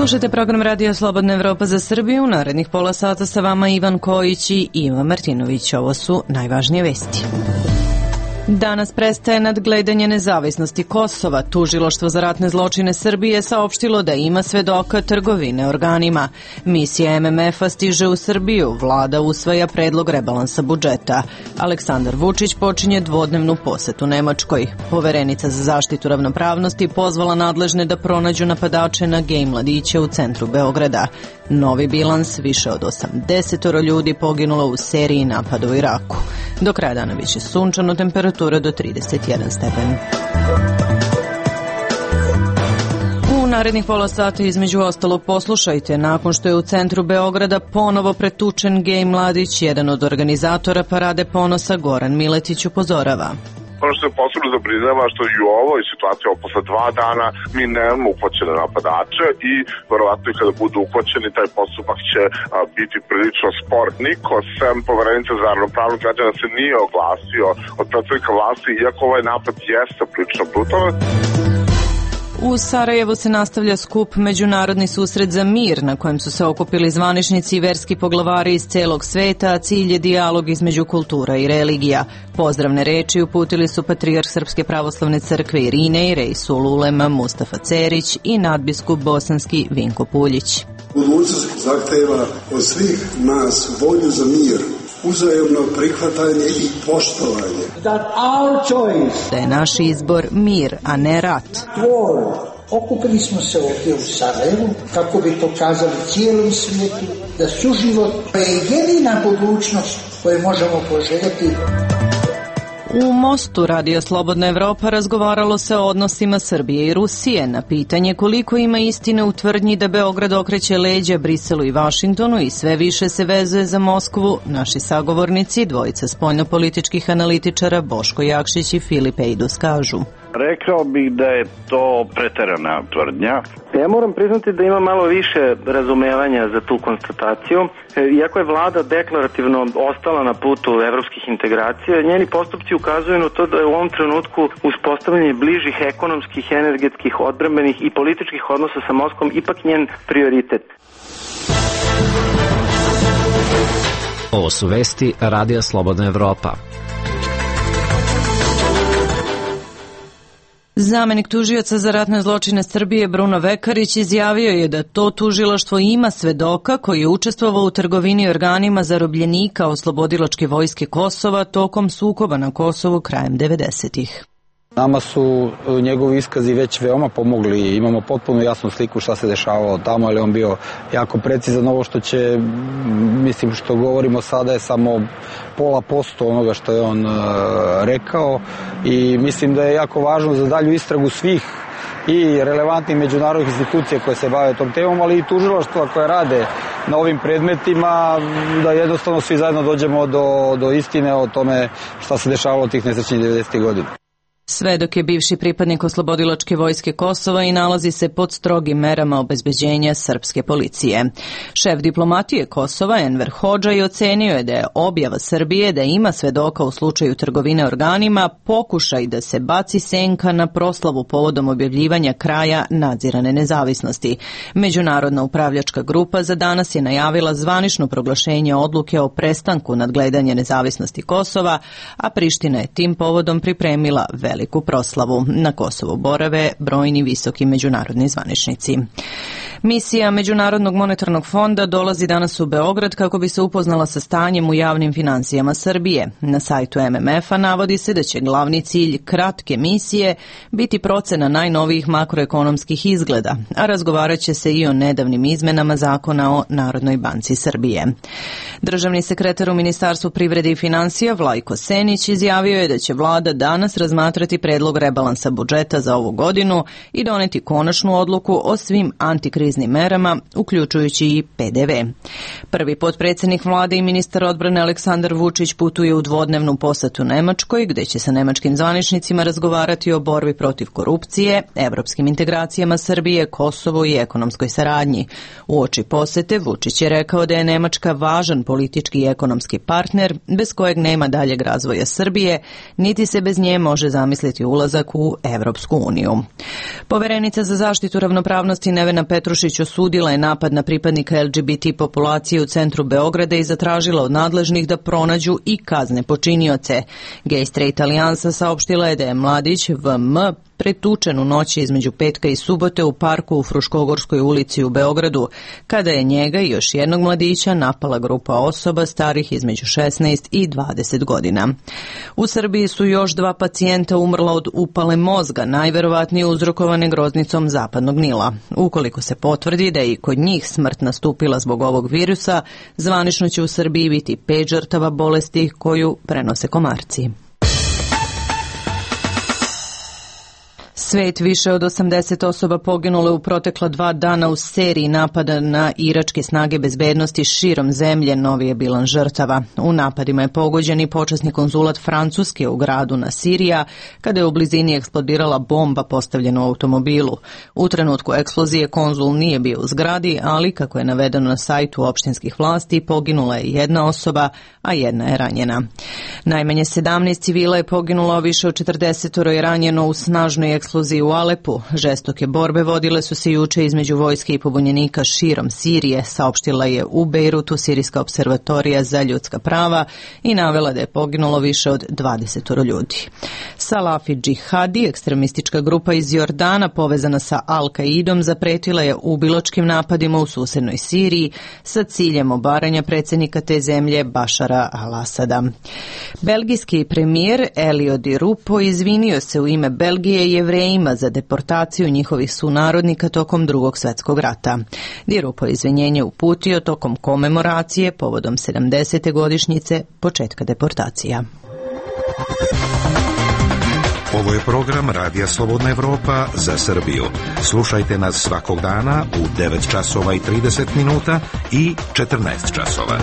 Slušajte program Radija Slobodna Evropa za Srbiju. U narednih pola sata sa vama Ivan Kojić i Ivan Martinović. Ovo su najvažnije vesti. Danas prestaje nadgledanje nezavisnosti Kosova. Tužilaštvo za ratne zločine Srbije saopštilo da ima svedoka trgovine organima. Misija MMF-a stiže u Srbiju. Vlada usvaja predlog rebalansa budžeta. Aleksandar Vučić počinje dvodnevnu posetu Nemačkoj. Poverenica za zaštitu ravnopravnosti pozvala nadležne da pronađu napadače na gej mladiće u centru Beograda. Novi bilans, više od 80 ljudi poginulo u seriji napada u Iraku. Do kraja dana biće sunčano, temperatura do 31 stepen. U narednih pola sata između ostalog poslušajte, nakon što je u centru Beograda ponovo pretučen gej mladić, jedan od organizatora Parade ponosa Goran Miletić upozorava. Ono što je posebno zabrinjava što i u ovoj situaciji, posle 2 dana, mi nemamo uhvaćene napadače i verovatno i kada budu uhvaćeni, taj postupak će biti prilično spor. Niko, sem Poverenica za ravnopravnost građana, se nije oglasio od predstavnika vlasti, iako ovaj napad jeste prilično brutalan. U Sarajevu se nastavlja skup Međunarodni susret za mir, na kojem su se okupili zvaničnici i verski poglavari iz celog sveta, a cilj je dijalog između kultura i religija. Pozdravne reči uputili su patrijarh Srpske pravoslavne crkve Irine i Reisul Ulema Mustafa Cerić i nadbiskup bosanski Vinko Puljić. Budućnost zahteva od svih nas volju za mir, uzajamno prihvatanje i poštovanje. Da je naš izbor mir, a ne rat. Okupili smo se ovdje u Sarajevu kako bi pokazali cijelom svijetu da suživot je jedina budućnost koju možemo poželjeti. U Mostu Radio Slobodna Evropa razgovaralo se o odnosima Srbije i Rusije. Na pitanje koliko ima istine u tvrdnji da Beograd okreće leđa Briselu i Vašingtonu i sve više se vezuje za Moskvu, naši sagovornici, dvojica spoljnopolitičkih analitičara Boško Jakšić i Filip Ejdus kažu. Rekao bih da je to preterana tvrdnja. Ja moram priznati da ima malo više razumevanja za tu konstataciju. Iako je vlada deklarativno ostala na putu evropskih integracija, njeni postupci ukazuju na to da je u ovom trenutku uspostavljanje bližih ekonomskih, energetskih, odbrambenih i političkih odnosa sa Moskvom ipak njen prioritet. Ovo su vesti Radija Slobodna Evropa. Zamenik tužioca za ratne zločine Srbije Bruno Vekarić izjavio je da to tužilaštvo ima svedoka koji je učestvovao u trgovini organima zarobljenika Oslobodilačke vojske Kosova tokom sukoba na Kosovu krajem 90-ih. Nama su njegovi iskazi već veoma pomogli, imamo potpuno jasnu sliku šta se dešavalo tamo, ali on bio jako precizan. Ovo što će, mislim što govorimo sada je samo 0,5% onoga što je on rekao i mislim da je jako važno za dalju istragu svih i relevantnih međunarodnih institucija koje se bave tom temom, ali i tužilaštva koje rade na ovim predmetima, da jednostavno svi zajedno dođemo do istine o tome šta se dešavalo tih nesrećnih 90. godina. Svedok je bivši pripadnik Oslobodilačke vojske Kosova i nalazi se pod strogim merama obezbeđenja srpske policije. Šef diplomatije Kosova Enver Hodžaj ocenio je da je objava Srbije da ima svedoka u slučaju trgovine organima pokušaj da se baci senka na proslavu povodom objavljivanja kraja nadzirane nezavisnosti. Međunarodna upravljačka grupa za danas je najavila zvanično proglašenje odluke o prestanku nadgledanja nezavisnosti Kosova, a Priština je tim povodom pripremila veliku proslavu. Na Kosovu borave brojni visoki međunarodni zvaničnici. Misija Međunarodnog monetarnog fonda dolazi danas u Beograd kako bi se upoznala sa stanjem u javnim finansijama Srbije. Na sajtu MMF-a navodi se da će glavni cilj kratke misije biti procena najnovijih makroekonomskih izgleda, a razgovarat će se i o nedavnim izmenama zakona o Narodnoj banci Srbije. Državni sekretar u Ministarstvu privrede i finansija Vlajko Senić izjavio je da će vlada danas razmatrati predlog rebalansa budžeta za ovu godinu i doneti konačnu odluku o svim antikriznim merama, uključujući i PDV. Prvi potpredsjednik vlade i ministar odbrane Aleksandar Vučić putuje u dvodnevnu posetu Nemačkoj, gde će sa nemačkim zvaničnicima razgovarati o borbi protiv korupcije, evropskim integracijama Srbije, Kosovu i ekonomskoj saradnji. Uoči posete Vučić je rekao da je Nemačka važan politički i ekonomski partner, bez kojeg nema daljeg razvoja Srbije, niti se bez nje može zamisliti zamisliti ulazak u Evropsku uniju. Poverenica za zaštitu ravnopravnosti Nevena Petrušić osudila je napad na pripadnika LGBT populacije u centru Beograda i zatražila od nadležnih da pronađu i kazne počinioce. Gay Straight Alijansa saopštila je da je mladić VM pretučen u noći između petka i subote u parku u Fruškogorskoj ulici u Beogradu, kada je njega i još jednog mladića napala grupa osoba starih između 16 i 20 godina. U Srbiji su još 2 pacijenta umrla od upale mozga, najverovatnije uzrokovane groznicom zapadnog Nila. Ukoliko se potvrdi da je i kod njih smrt nastupila zbog ovog virusa, zvanično će u Srbiji biti 5 žrtava bolesti koju prenose komarci. Svet, više od 80 osoba poginule u protekla 2 dana u seriji napada na iračke snage bezbednosti širom zemlje, novi je bilan žrtava. U napadima je pogođen i počasni konzulat Francuske u gradu Nasirija, kada je u blizini eksplodirala bomba postavljena u automobilu. U trenutku eksplozije konzul nije bio u zgradi, ali, kako je navedeno na sajtu opštinskih vlasti, poginula je 1 osoba, a 1 je ranjena. Najmanje 17 civila je poginulo, a više od 40 je ranjeno u snažnoj eksploziji u Alepu. Žestoke borbe vodile su se juče između vojske i pobunjenika širom Sirije, saopštila je u Bejrutu Sirijska observatorija za ljudska prava i navela da je poginulo više od 20 ljudi. Salafi džihadi, ekstremistička grupa iz Jordana povezana sa Al-Kaidom, zapretila je ubilačkim napadima u susednoj Siriji sa ciljem obaranja predsjednika te zemlje Bašara al-Asada. Belgijski premijer Elio Di Rupo izvinio se u ime Belgije i Jevrejima za deportaciju njihovih sunarodnika tokom Drugog svjetskog rata. Di Rupo izvinjenje uputio tokom komemoracije povodom 70. godišnjice početka deportacija. Ovo je program Radija Slobodna Evropa za Srbiju. Slušajte nas svakog dana u 9 časova i 30 minuta i 14 časova.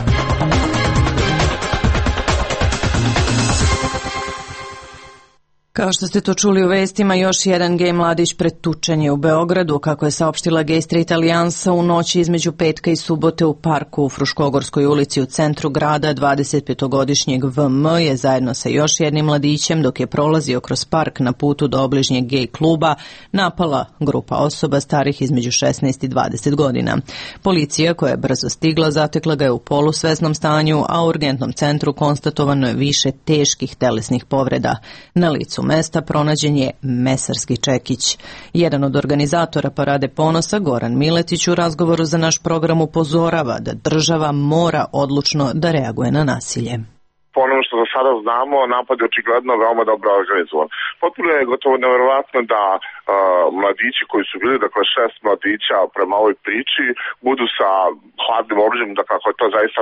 Kao što ste to čuli u vestima, još jedan gej mladić pretučen je u Beogradu, kako je saopštila Gay Straight Alijansa u noći između petka i subote u parku u Fruškogorskoj ulici u centru grada. 25-godišnjeg VM je zajedno sa još jednim mladićem, dok je prolazio kroz park na putu do obližnjeg gej kluba, napala grupa osoba starih između 16 i 20 godina. Policija, koja je brzo stigla, zatekla ga je u polusvesnom stanju, a u urgentnom centru konstatovano je više teških telesnih povreda. Na licu mesta pronađen je mesarski čekić. Jedan od organizatora Parade ponosa, Goran Miletić, u razgovoru za naš program upozorava da država mora odlučno da reaguje na nasilje. Po onom što do sada znamo, napad je očigledno veoma dobro organizovan. Potpuno je gotovo neverovatno da mladići koji su bili, dakle 6 mladića prema ovoj priči, budu sa hladnim oružjem, da kako je to zaista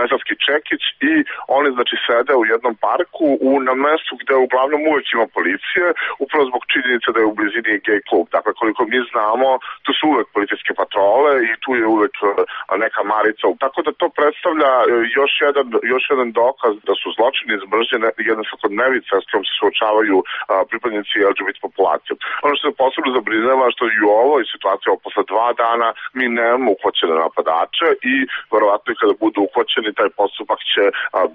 mesarski čekić, i oni znači sede u jednom parku na mestu gde uglavnom uvek ima policije, upravo zbog činjenice da je u blizini gej klub. Dakle, koliko mi znamo, tu su uvek policijske patrole i tu je uvek neka marica. Tako da to predstavlja još jedan dokaz da su zločini iz mržnje jedna svakodnevica s kojom se suočavaju pripadnici LGBT populacije. Ono što se posebno zabrinjava što i u ovoj situaciji posle 2 dana mi nemamo uhvaćene napadače i verovatno i kada budu uhvaćeni taj postupak će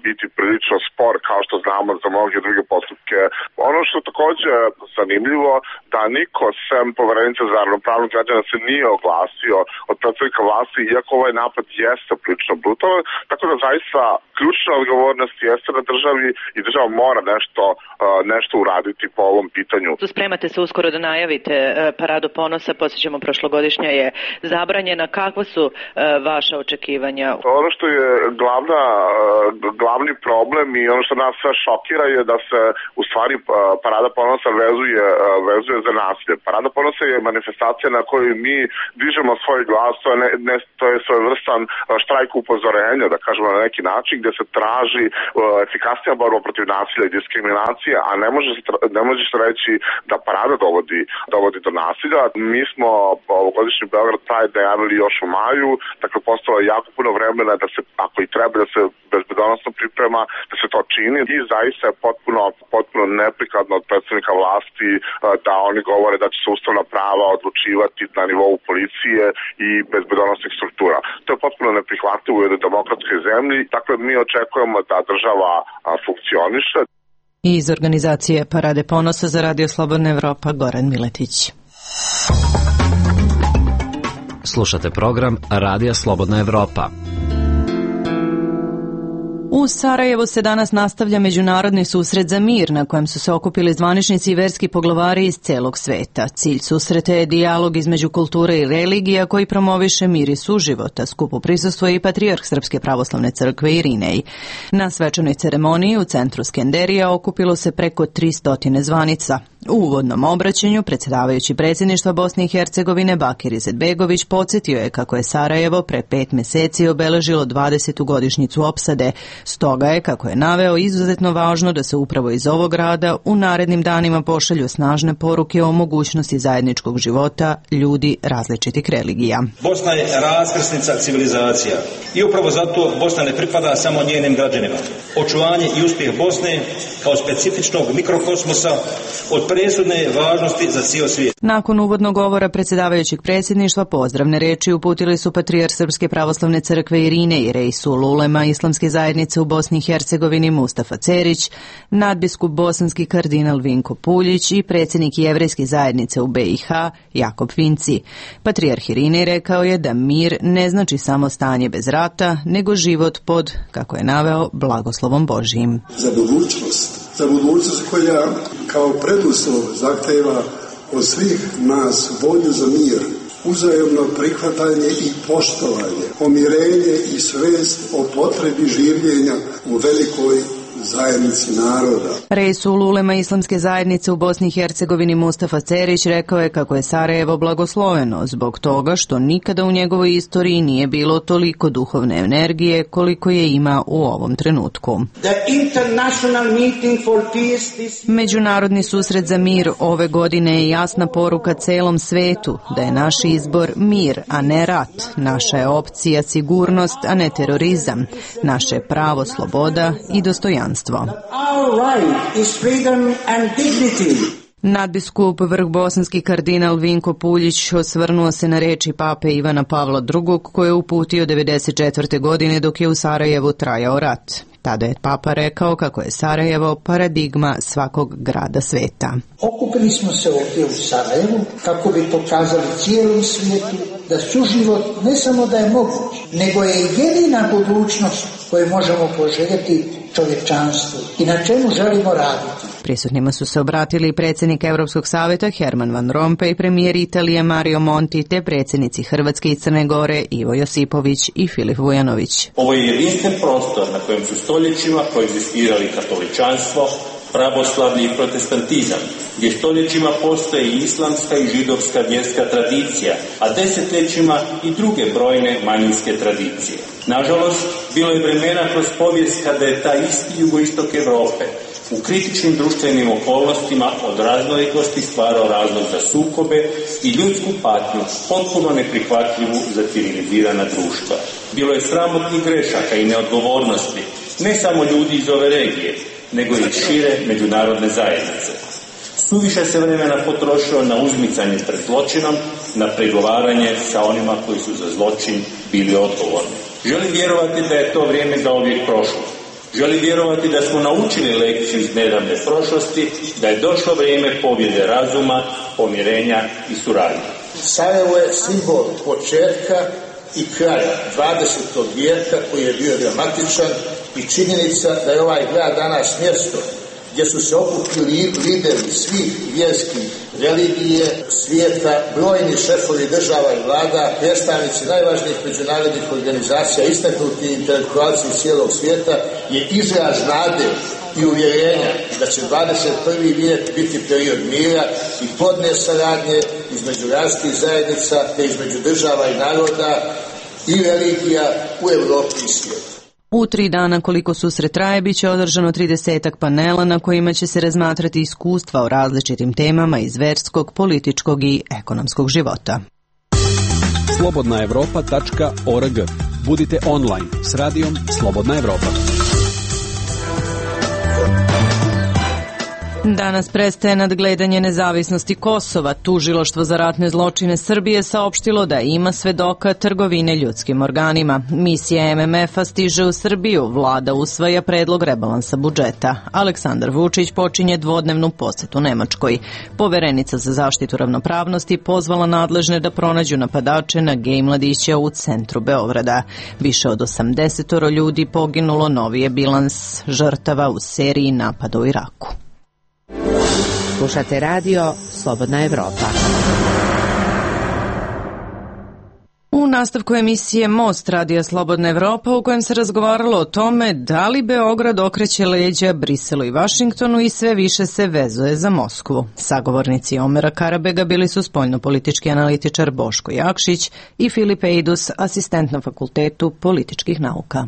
biti prilično spor, kao što znamo za mnoge druge postupke. Ono što takođe zanimljivo, da niko sem Poverenice za ravnopravnost građana se nije oglasio od predstavnika vlasti, iako ovaj napad jeste prilično brutalan, tako da zaista ključna odgovornost jeste na državi i država mora nešto uraditi po ovom pitanju. Spremate se uskoro da najavite Paradu ponosa, podsjećamo prošlogodišnja je zabranjena. Kakva su vaša očekivanja? Ono što je glavni problem i ono što nas sve šokira je da se u stvari Parada ponosa vezuje za nasilje. Parada ponosa je manifestacija na kojoj mi dižemo svoj glas, to je svojevrstan štrajk upozorenja, da kažemo na neki način, gde se traži efikasnija borba protiv nasilja i diskriminacije, a ne može se reći da Parada dovodi do nasilja. Mi smo ovogodišnji Beograd Pride najavili još u maju, dakle postalo je jako puno vremena da se, ako i treba, da se bezbedonosno priprema, da se to čini, i zaista je potpuno neprikladno od predstavnika vlasti da oni govore da će se ustavna prava odlučivati na nivou policije i bezbedonosnih struktura. To je potpuno neprihvatljivo u jednoj demokratskoj zemlji, dakle mi očekujemo da država funkcioniše. I iz organizacije Parade ponosa za Radio Slobodna Evropa Goran Miletić. Slušate program Radija Slobodna Evropa. U Sarajevu se danas nastavlja međunarodni susret za mir na kojem su se okupili zvaničnici i verski poglavari iz celog sveta. Cilj susreta je dijalog između kulture i religija koji promoviše mir i suživota. Skupu prisustvuje i patrijarh Srpske pravoslavne crkve Irinej. Na svečanoj ceremoniji u centru Skenderija okupilo se preko 300 zvanica. U uvodnom obraćanju predsjedavajući predsjedništva Bosne i Hercegovine Bakir Izetbegović podsjetio je kako je Sarajevo pre 5 meseci obeležilo 20. godišnjicu opsade. Stoga je, kako je naveo, izuzetno važno da se upravo iz ovog grada u narednim danima pošalju snažne poruke o mogućnosti zajedničkog života ljudi različitih religija. Bosna je raskrsnica civilizacija i upravo zato Bosna ne pripada samo njenim građanima. Očuvanje i uspjeh Bosne kao specifičnog mikrokosmosa od presudne važnosti za cijel svijet. Nakon uvodnog govora predsjedavajućeg predsjedništva pozdravne reči uputili su patrijarh Srpske pravoslavne crkve Irine i Reisul Ulema Islamske zajednice u Bosni i Hercegovini Mustafa Cerić, nadbiskup bosanski kardinal Vinko Puljić i predsjednik Jevrejske zajednice u BiH Jakob Finci. Patrijarh Irinej rekao je da mir ne znači samo stanje bez rata, nego život pod, kako je naveo, blagoslovom Božijim. Za budućnost koja kao preduslov zahteva od svih nas volju za mir, uzajamno prihvatanje i poštovanje, pomirenje i svest o potrebi življenja u velikoj zajednici naroda. Reisul Ulema Islamske zajednice u Bosni i Hercegovini Mustafa Cerić rekao je kako je Sarajevo blagosloveno zbog toga što nikada u njegovoj istoriji nije bilo toliko duhovne energije koliko je ima u ovom trenutku. Međunarodni susret za mir ove godine je jasna poruka celom svetu da je naš izbor mir, a ne rat. Naša je opcija sigurnost, a ne terorizam. Naše je pravo sloboda i dostojanstvo. Nadbiskup vrhbosanski kardinal Vinko Puljić osvrnuo se na reči pape Ivana Pavla II koje je uputio 1994. godine dok je u Sarajevu trajao rat. Tada je papa rekao kako je Sarajevo paradigma svakog grada sveta. Okupili smo se ovdje u Sarajevu kako bi pokazali cijelom svijetu da suživot ne samo da je moguć, nego je jedina budućnost koju možemo poželjeti čovječanstvu i na čemu želimo raditi. Prisutnima su se obratili predsjednik Europskog savjeta Herman Van Rompuy, premijer Italije Mario Monti te predsjednici Hrvatske i Crne Gore Ivo Josipović i Filip Vujanović. Ovo je jedinstven prostor na kojem su stoljećima koegzistirali katoličanstvo, pravoslavlje i protestantizam, gdje stoljećima postoje i islamska i židovska vjerska tradicija, a desetljećima i druge brojne manjinske tradicije. Nažalost, bilo je vremena kroz povijest kada je taj isti jugoistok Europe u kritičnim društvenim okolnostima od raznolikosti stvarao razlog za sukobe i ljudsku patnju potpuno neprihvatljivu za civilizirana društva. Bilo je sramotnih grešaka i neodgovornosti, ne samo ljudi iz ove regije, nego i šire međunarodne zajednice. Suviše se vremena potrošilo na uzmicanje pred zločinom, na pregovaranje sa onima koji su za zločin bili odgovorni. Želim vjerovati da je to vrijeme zauvijek prošlo. Želim vjerovati da smo naučili lekciju iz nedavne prošlosti, da je došlo vrijeme pobjede razuma, pomirenja i suradnje. Sarajevo je simbol početka i kraja 20. vijeka koji je bio dramatičan i činjenica da je ovaj grad danas mjesto gdje su se okupili lideri svih vjerskih religije svijeta, brojni šefovi država i vlada, predstavnici najvažnijih međunarodnih organizacija, istaknuti intelektualci iz cijelog svijeta, je izraz nade i uvjerenja da će 21. vijek biti period mira i plodne saradnje između različitih zajednica te između država i naroda i religija u Europi i svijetu. U 3 dana koliko susret traje bit će održano 30 panela na kojima će se razmatrati iskustva o različitim temama iz verskog, političkog i ekonomskog života. slobodnaevropa.org. Budite online s radijom Slobodna Evropa. Danas prestaje nadgledanje nezavisnosti Kosova. Tužilaštvo za ratne zločine Srbije saopštilo da ima svedoka trgovine ljudskim organima. Misija MMF-a stiže u Srbiju. Vlada usvaja predlog rebalansa budžeta. Aleksandar Vučić počinje dvodnevnu posetu Nemačkoj. Poverenica za zaštitu ravnopravnosti pozvala nadležne da pronađu napadače na gej mladića u centru Beograda. Više od 80 ljudi poginulo, novi je bilans žrtava u seriji napada u Iraku. Slušate radio Slobodna Evropa. U nastavku emisije Most radija Slobodna Evropa, u kojem se razgovaralo o tome da li Beograd okreće leđa Briselu i Vašingtonu i sve više se vezuje za Moskvu. Sagovornici Omera Karabega bili su spoljnopolitički analitičar Boško Jakšić i Filip Ejdus, asistent na Fakultetu političkih nauka.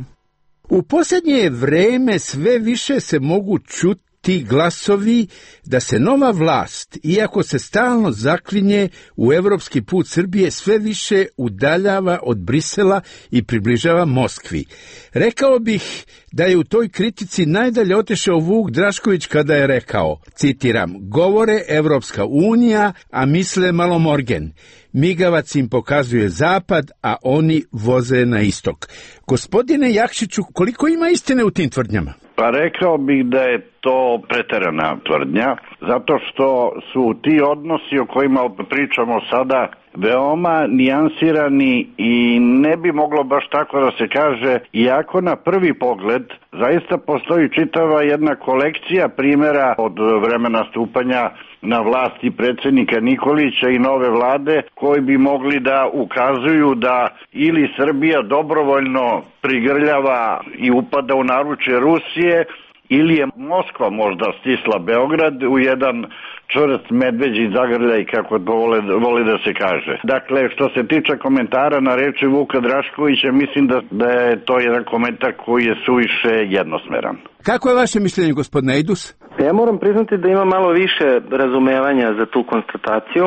U posljednje vreme sve više se mogu čuti ti glasovi da se nova vlast, iako se stalno zaklinje u evropski put Srbije, sve više udaljava od Brisela i približava Moskvi. Rekao bih da je u toj kritici najdalje otišao Vuk Drašković kada je rekao, citiram, govore Evropska unija, a misle Malomorgen. Migavac im pokazuje zapad, a oni voze na istok. Gospodine Jakšiću, koliko ima istine u tim tvrdnjama? Pa rekao bih da je to preterana tvrdnja, zato što su ti odnosi o kojima pričamo sada veoma nijansirani i ne bi moglo baš tako da se kaže, iako na prvi pogled zaista postoji čitava jedna kolekcija primjera od vremena stupanja na vlasti predsjednika Nikolića i nove vlade koji bi mogli da ukazuju da ili Srbija dobrovoljno prigrljava i upada u naručje Rusije ili je Moskva možda stisla Beograd u jedan čvrst medveđi zagrljaj, kako to voli da se kaže. Dakle, što se tiče komentara na reči Vuka Draškovića, mislim da je to jedan komentar koji je suviše jednosmeran. Kako je vaše mišljenje, gospodine Ejdus? Ja moram priznati da ima malo više razumevanja za tu konstataciju.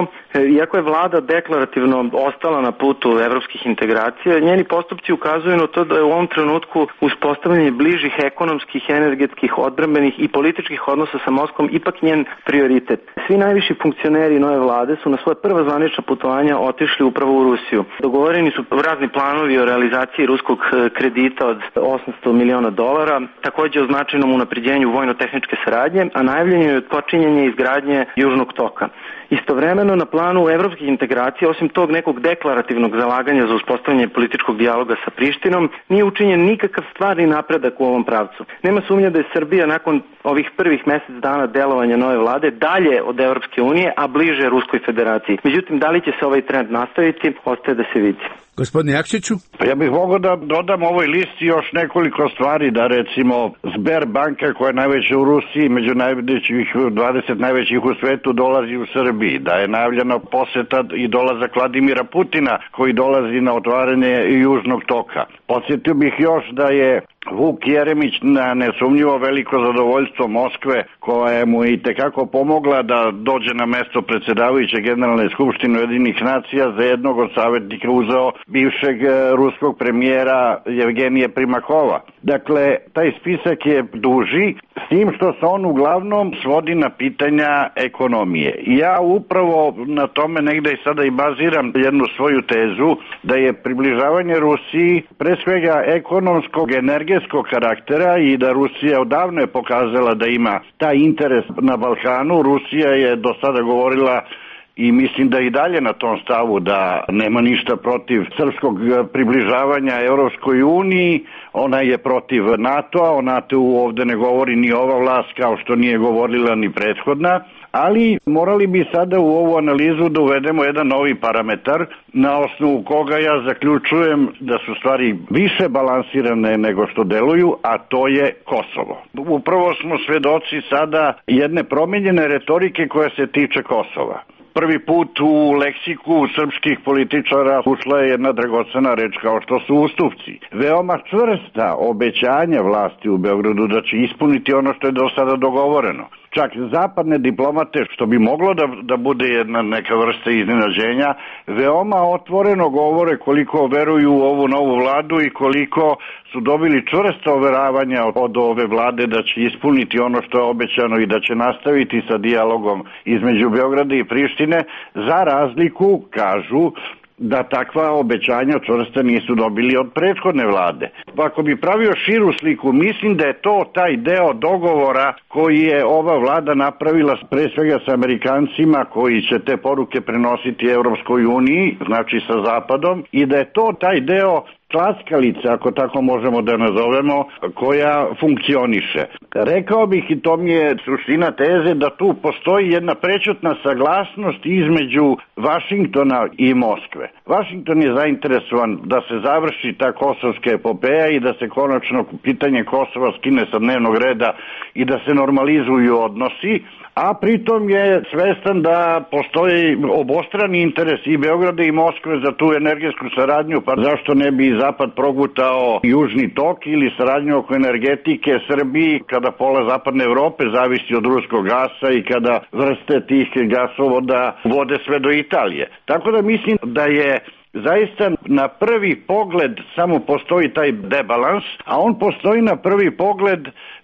Iako je vlada deklarativno ostala na putu evropskih integracija, njeni postupci ukazuju na to da je u ovom trenutku uspostavljanje bližih ekonomskih, energetskih, odbrambenih i političkih odnosa sa Moskvom ipak njen prioritet. Svi najviši funkcioneri nove vlade su na svoje prva zvanična putovanja otišli upravo u Rusiju. Dogovoreni su razni planovi o realizaciji ruskog kredita od $800 miliona, također o značajnom unapređenju vojno-tehničke saradnje, a najavljeno je počinjenje izgradnje Južnog toka. Istovremeno na planu evropskih integracija, osim tog nekog deklarativnog zalaganja za uspostavljanje političkog dijaloga sa Prištinom, nije učinjen nikakav stvarni napredak u ovom pravcu. Nema sumnja da je Srbija nakon ovih prvih mjesec dana delovanja nove vlade dalje od Evropske unije, a bliže Ruskoj federaciji. Međutim, da li će se ovaj trend nastaviti, ostaje da se vidi. Gospodine Jakšiću? Ja bih mogao da dodam ovoj listi još nekoliko stvari, da recimo Sberbanka, koja je najveća u Rusiji, među 20 najvećih u svetu, dolazi u Srbiji, da je najavljena poseta i dolazak Vladimira Putina koji dolazi na otvaranje Južnog toka. Podsjetio bih još da je Vuk Jeremić na nesumnjivo veliko zadovoljstvo Moskve, koja mu je itekako pomogla da dođe na mesto predsjedavajuće Generalne skupštine Ujedinjenih nacija, za jednog od savjetnika uzeo bivšeg ruskog premijera Jevgenija Primakova. Dakle, taj spisak je duži, s tim što se on uglavnom svodi na pitanja ekonomije. I ja upravo na tome negde i sada i baziram jednu svoju tezu, da je približavanje Rusiji pre svega ekonomskog, energetskog karaktera i da Rusija odavno je pokazala da ima taj interes na Balkanu. Rusija je do sada govorila i mislim da i dalje na tom stavu da nema ništa protiv srpskog približavanja Europskoj uniji. Ona je protiv NATO-a, o NATO-u ovde ne govori ni ova vlast kao što nije govorila ni prethodna, ali morali bi sada u ovu analizu da uvedemo jedan novi parametar na osnovu koga ja zaključujem da su stvari više balansirane nego što deluju, a to je Kosovo. Upravo smo svedoci sada jedne promijenjene retorike koja se tiče Kosova. Prvi put u leksiku srpskih političara ušla je jedna dragocena reč kao što su ustupci. Veoma čvrsta obećanja vlasti u Beogradu da će ispuniti ono što je do sada dogovoreno. čak zapadne diplomate, što bi moglo da bude jedna neka vrsta iznenađenja, veoma otvoreno govore koliko veruju u ovu novu vladu i koliko su dobili čvrsta overavanja od ove vlade da će ispuniti ono što je obećano i da će nastaviti sa dijalogom između Beograda i Prištine, za razliku, kažu, da takva obećanja čvrsta nisu dobili od prethodne vlade. Ako bi pravio širu sliku, mislim da je to taj deo dogovora koji je ova vlada napravila pre svega sa Amerikancima koji će te poruke prenositi Evropskoj uniji, znači sa Zapadom, i da je to taj deo klackalice, ako tako možemo da nazovemo, koja funkcioniše. Rekao bih, i to mi je suština teze, da tu postoji jedna prečutna saglasnost između Vašingtona i Moskve. Vašington je zainteresovan da se završi ta kosovska epopeja i da se konačno pitanje Kosova skine sa dnevnog reda i da se normalizuju odnosi, a pritom je svestan da postoji obostrani interes i Beograda i Moskve za tu energetsku saradnju, pa zašto ne bi Zapad progutao Južni tok ili saradnju oko energetike Srbiji, kada pola zapadne Evrope zavisi od ruskog gasa i kada vrste tih gasovoda vode sve do Italije. Tako da mislim da je zaista na prvi pogled samo postoji taj debalans, a on postoji na prvi pogled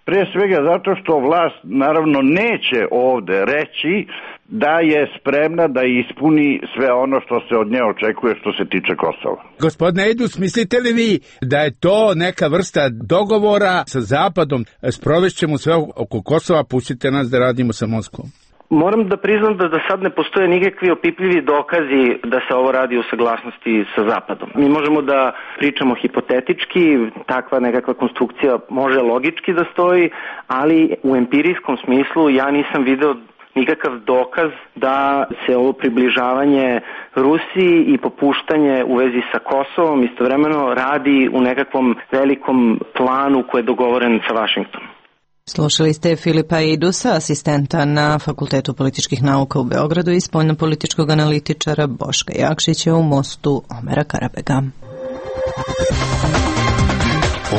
pre svega zato što vlast naravno neće ovde reći da je spremna da ispuni sve ono što se od nje očekuje što se tiče Kosova. Gospodine Edus, mislite li vi da je to neka vrsta dogovora sa Zapadom, sprovešćemo sve oko Kosova, pustite nas da radimo sa Moskvom? Moram da priznam da sad ne postoje nikakvi opipljivi dokazi da se ovo radi u saglasnosti sa Zapadom. Mi možemo da pričamo hipotetički, takva nekakva konstrukcija može logički da stoji, ali u empirijskom smislu ja nisam video nikakav dokaz da se ovo približavanje Rusiji i popuštanje u vezi sa Kosovom istovremeno radi u nekakvom velikom planu koji je dogovoren sa Vašingtonom. Slušali ste Filipa Idusa, asistenta na Fakultetu političkih nauka u Beogradu i spoljnopolitičkog analitičara Boška Jakšića u Mostu Omera Karabega.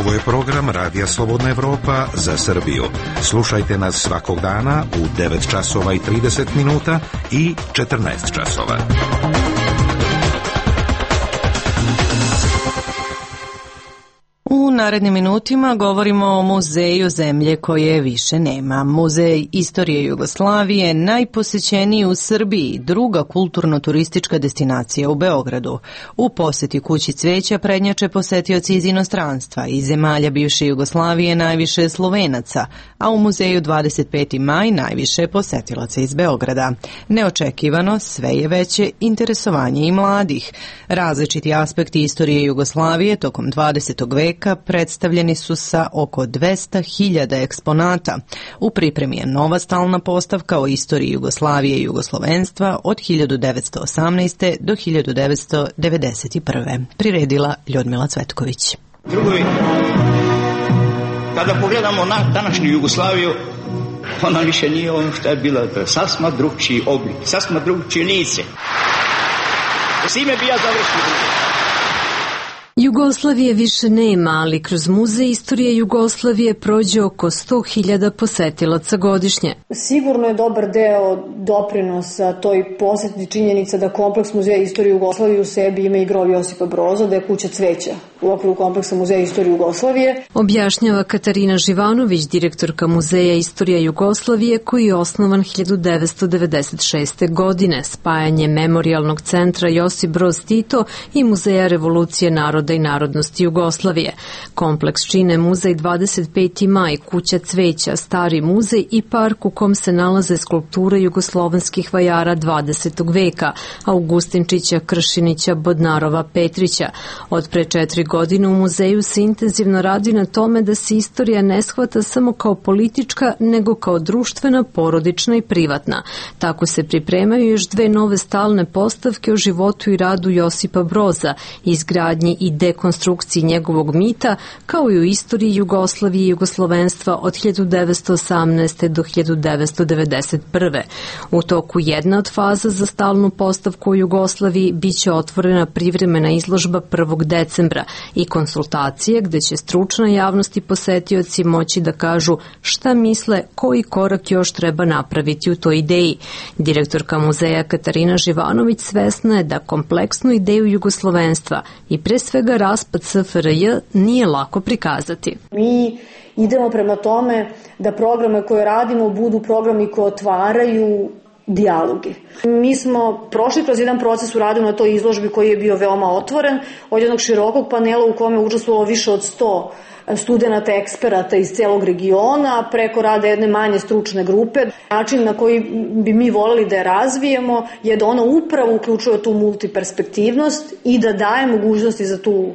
Ovo je program Radija Slobodna Evropa za Srbiju. Slušajte nas svakog dana u 9 časova i 30 minuta i 14 časova. U narednim minutima govorimo o muzeju zemlje koje više nema. Muzej istorije Jugoslavije, najposećeniji u Srbiji, druga kulturno-turistička destinacija u Beogradu. U poseti Kući cveća prednjače posetioci iz inostranstva i zemalja bivše Jugoslavije najviše Slovenaca, a u muzeju 25. maj najviše posetilaca iz Beograda. Neočekivano, sve je veće interesovanje i mladih. Različiti aspekti istorije Jugoslavije tokom 20. veka predstavljeni su sa oko 200.000 eksponata. U pripremi je nova stalna postavka o istoriji Jugoslavije i jugoslovenstva od 1918. do 1991. Priredila Ljudmila Cvetković. Drugovi, kada pogledamo na današnju Jugoslaviju, ona više nije ono što je bila, sasma drugčiji oblik, sasma drugčije lice. S ime bi ja završio. Jugoslavije više nema, ali kroz muzej istorije Jugoslavije prođe oko 100.000 posetilaca godišnje. Sigurno je dobar deo doprinosa toj poseti činjenica da kompleks muzeja istorije Jugoslavije u sebi ima i grob Josipa Broza, da je Kuća cveća u okviru kompleksa muzeja istorije Jugoslavije. Objašnjava Katarina Živanović, direktorka Muzeja istorije Jugoslavije, koji je osnovan 1996. godine, spajanje Memorijalnog centra Josip Broz Tito i Muzeja revolucije naroda i narodnosti Jugoslavije. Kompleks čine muzej 25. maj, Kuća cveća, stari muzej i park u kom se nalaze skulpture jugoslovenskih vajara 20. veka, Augustinčića, Kršinića, Bodnarova, Petrića. Od pre 4 godine u muzeju se intenzivno radi na tome da se istorija ne shvata samo kao politička, nego kao društvena, porodična i privatna. Tako se pripremaju još 2 nove stalne postavke o životu i radu Josipa Broza, izgradnji i dekonstrukciji njegovog mita, kao i u istoriji Jugoslavije i jugoslovenstva od 1918. do 1991. U toku jedna od faza za stalnu postavku u Jugoslaviji biće otvorena privremena izložba 1. decembra. i konsultacije gde će stručna javnost i posetioci moći da kažu šta misle, koji korak još treba napraviti u toj ideji. Direktorka muzeja Katarina Živanović svesna je da kompleksnu ideju jugoslovenstva i pre svega raspad SFRJ nije lako prikazati. Mi idemo prema tome da programe koje radimo budu programi koji otvaraju dijaloge. Mi smo prošli kroz jedan proces u radu na toj izložbi koji je bio veoma otvoren, od jednog širokog panela u kome je učestvovalo više od 100 studenata, eksperata iz celog regiona, preko rada jedne manje stručne grupe. Način na koji bi mi voleli da je razvijemo je da ona upravo uključuje tu multiperspektivnost i da daje mogućnosti za tu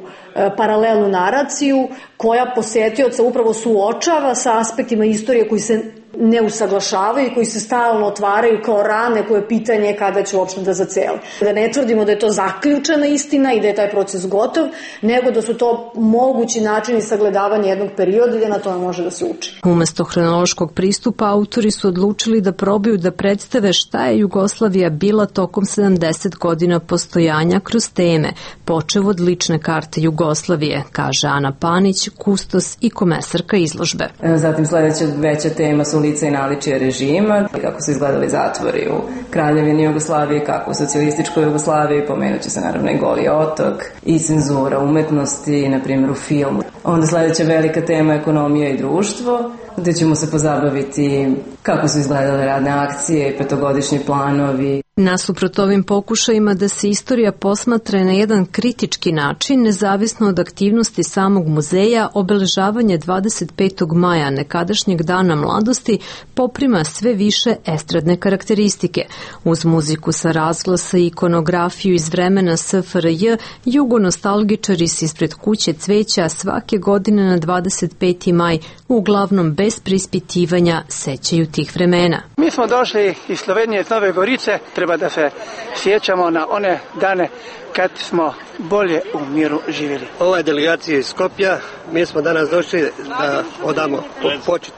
paralelnu naraciju koja posetioca upravo suočava sa aspektima istorije koji se ne usaglašavaju i koji se stalno otvaraju kao rane koje pitanje je kada će uopšte da zacele. Da ne tvrdimo da je to zaključena istina i da je taj proces gotov, nego da su to mogući načini sagledavanja jednog perioda i da na tome može da se uči. Umesto hronološkog pristupa, autori su odlučili da probaju da predstave šta je Jugoslavija bila tokom 70 godina postojanja kroz teme, počev od lične karte Jugoslavije, kaže Ana Panić, kustos i komesarka izložbe. Zatim sledeća veća tema su lica i naličije režima, kako su izgledali zatvori u Kraljevini Jugoslavije, kako u socijalističkoj Jugoslaviji, pomenuće se naravno i Goli otok i cenzura umetnosti, na primjer u filmu. Onda sledeća velika tema je ekonomija i društvo, gde ćemo se pozabaviti kako su izgledale radne akcije i petogodišnji planovi. Nasuprot ovim pokušajima da se istorija posmatra na jedan kritički način, nezavisno od aktivnosti samog muzeja, obeležavanje 25. maja, nekadašnjeg dana mladosti, poprima sve više estradne karakteristike. Uz muziku sa razglasa i ikonografiju iz vremena SFRJ, jugonostalgičari se ispred kuće cveća svake godine na 25. maj, uglavnom bez preispitivanja, sećaju tih vremena. Mi smo došli iz Slovenije, iz Nove Gorice, treba da se sjećamo na one dane kad smo bolje u miru živjeli. Ova je delegacija iz Skopja, mi smo danas došli da odamo počet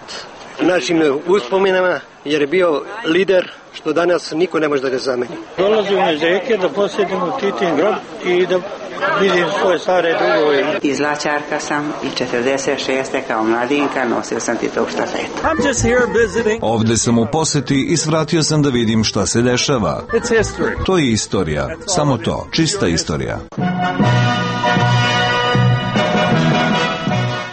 našim uspominama, jer je bio lider što danas niko ne može da ga zameni. Dolazimo iz Rijeke da posjetimo Titin grob i da vidim svoje stare drugove. Iz Lačarka sam i 46. kao mladinka nosio sam Titov štafetu. Ovde sam u poseti i svratio sam da vidim šta se dešava. To je istorija, samo to, čista istorija.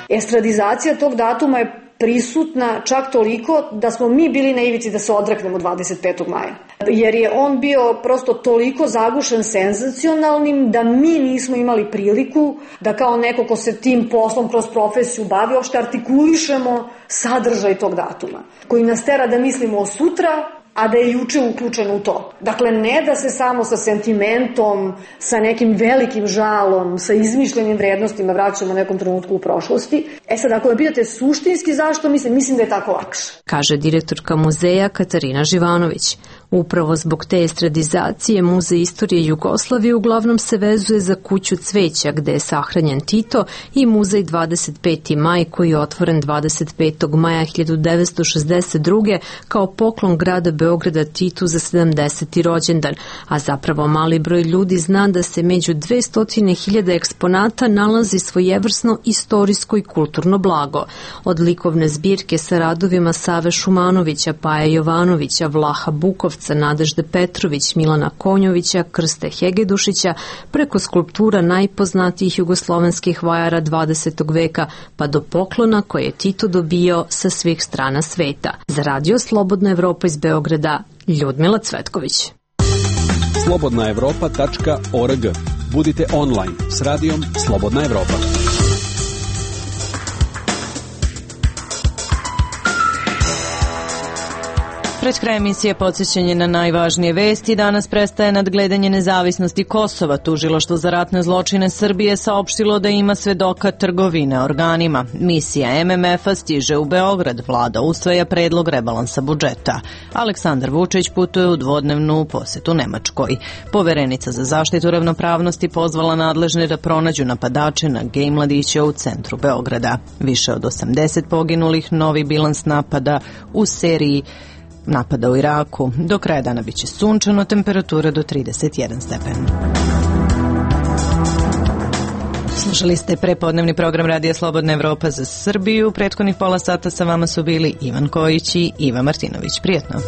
Estradizacija tog datuma je prisutna čak toliko da smo mi bili na ivici da se odreknemo 25. maja. Jer je on bio prosto toliko zagušen senzacionalnim da mi nismo imali priliku da kao neko ko se tim poslom kroz profesiju bavi, uopšte artikulišemo sadržaj tog datuma, koji nas tera da mislimo o sutra, a da je juče uključeno u to. Dakle, ne da se samo sa sentimentom, sa nekim velikim žalom, sa izmišljenim vrednostima vraćamo nekom trenutku u prošlosti. Sad, ako me pitate suštinski zašto, mislim da je tako lakše. Kaže direktorka muzeja Katarina Živanović. Upravo zbog te estradizacije Muzej istorije Jugoslavije uglavnom se vezuje za kuću cveća gde je sahranjen Tito i Muzej 25. maj koji je otvoren 25. maja 1962. kao poklon grada Beograda Titu za 70. rođendan, a zapravo mali broj ljudi zna da se među 200.000 eksponata nalazi svojevrsno istorijsko i kulturno blago. Od likovne zbirke sa radovima Save Šumanovića, Paje Jovanovića, Vlaha Bukovca, Nadežde Petrović, Milana Konjovića, Krste Hegedušića, preko skulptura najpoznatijih jugoslovenskih vajara 20. veka, pa do poklona koje je Tito dobio sa svih strana sveta. Za Radio Slobodna Evropa iz Beograda, Ljudmila Cvetković. slobodnaevropa.org. Budite online s radijom Slobodna Evropa. Pred kraj emisije podsjećanje na najvažnije vesti. Danas prestaje nadgledanje nezavisnosti Kosova. Tužilaštvo za ratne zločine Srbije saopštilo da ima svedoka trgovine organima. Misija MMF-a stiže u Beograd. Vlada usvaja predlog rebalansa budžeta. Aleksandar Vučić putuje u dvodnevnu posetu Nemačkoj. Poverenica za zaštitu ravnopravnosti pozvala nadležne da pronađu napadače na gej mladiće u centru Beograda. Više od 80 poginulih, novi bilans napada u seriji napada u Iraku. Do kraja dana biće sunčano, temperatura do 31 stepen. Slušali ste prepodnevni program Radija Slobodna Evropa za Srbiju. Prethodnih pola sata sa vama su bili Ivan Kojić i Iva Martinović. Prijetno.